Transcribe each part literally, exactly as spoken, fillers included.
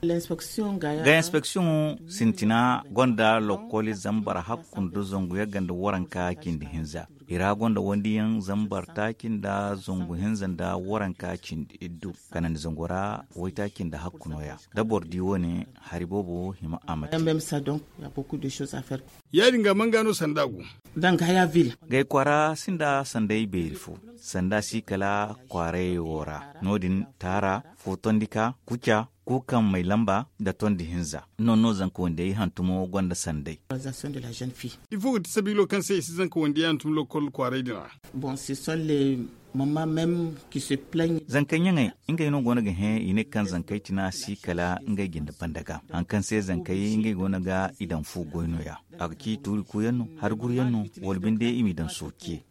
Ga inspeksiyoŋo sintina gonda lokkoli zambar hakku nda zangu yagga nda waranka cindi hinza. I ra gonda wandiyaŋ zambar taaci nda zangu hinza nda waranka cindi iddu. Kanandi zango ra waytaaci nda hakku nooya. Da boro di wo- ne, hari boobo hima a ma te. Ya- din ga manga no sanda go? Gay kwaara sinda sanday beeri fo. Sanda si kala kwaaray wo ra. No- din, taara, footondika, kuca, kuukaŋ may lamba, nda tondi hinza. Noŋ no zanka wandiyey hantumo gonda sanday. Ifo ga ti sabiilo kaŋ se i si zanka wandiyey hantum lokkol kwaaray din ra? Zankey ɲaŋey, ngey no go no ga hẽ i ne kaŋ zankey tina si kala ngey jinde banda ga. Hari kaŋ se zankey ngey go no ga i daŋ fu goy nooya. A ga ci tuuri kuuyaŋ no, hari guruyaŋ no, wala binde i m'i daŋ sooce.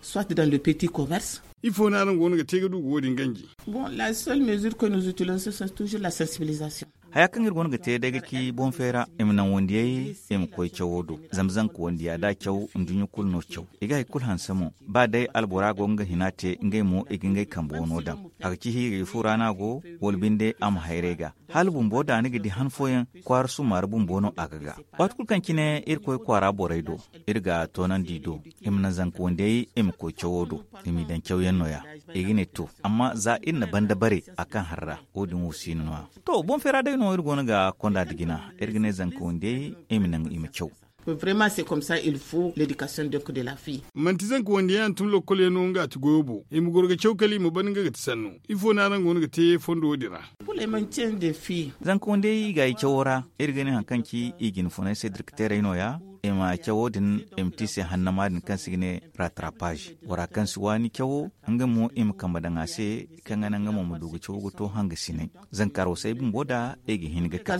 Soit dans le petit commerce. Ifo no araŋ go no ga te ga du ga wo- din ganji? Bon, la seule mesure que nous utilisons, c'est toujours la sensibilisation. Haya kaŋ iri go no ga te day ga ci boŋ feera, i ma naŋ wandiyey, i ma koy cawo do. Zama zanka wandiya da a caw, nduɲɲa kulu no caw. I ga hari kulu hanse mo. Ba day albora go nga hina te, ngey mo i ga ngey kambe wano daŋ. A ga ci hiigay fo ra no a go, wala binde a ma hayray ga. Hala bumbo da ni ga di han fooyaŋ, kwaara summaari bumbo no a ga ga. Waati kulu kaŋ cine iri koy kwaara borey do, iri ga toonandi i do, i ma naŋ zanka wandiyey, i ma koy cawo do, i m'i daŋ cawyaŋ nooya. I ga ne to, amma za iri na banda bare a kaŋ har ra, wo- din wo si no nooya. To, boŋ feera day no iri go no ga konda nda jina. Iri ga ne zanka wandiyey, i ma naŋ i ma caw. Vraiment, c'est comme ça il faut l'éducation donc de la fille. Manti zanka wandiyey hantum lokkol yaŋ no nga ti goyo bo, i ma goro ga caw kala i ma ban nga ga ti sanno. Ifo no araŋ go no ga te fondo wo- din ra? Zanka wandiyey i ga i cawo ra, iri ga ne hari kaŋ ci i jine funay se direkteerey nooya. I ma cawo din, i ma te i se hannama din kaŋ se i ga ne rattrapage. Bora kaŋ si waani cawo, nga mo i ma kambe daŋ a se, kaŋ ga naŋ nga mo ma du ga cawo ga to hanga sinay. Zanka arwasey bumbo da i ga hin ga ka.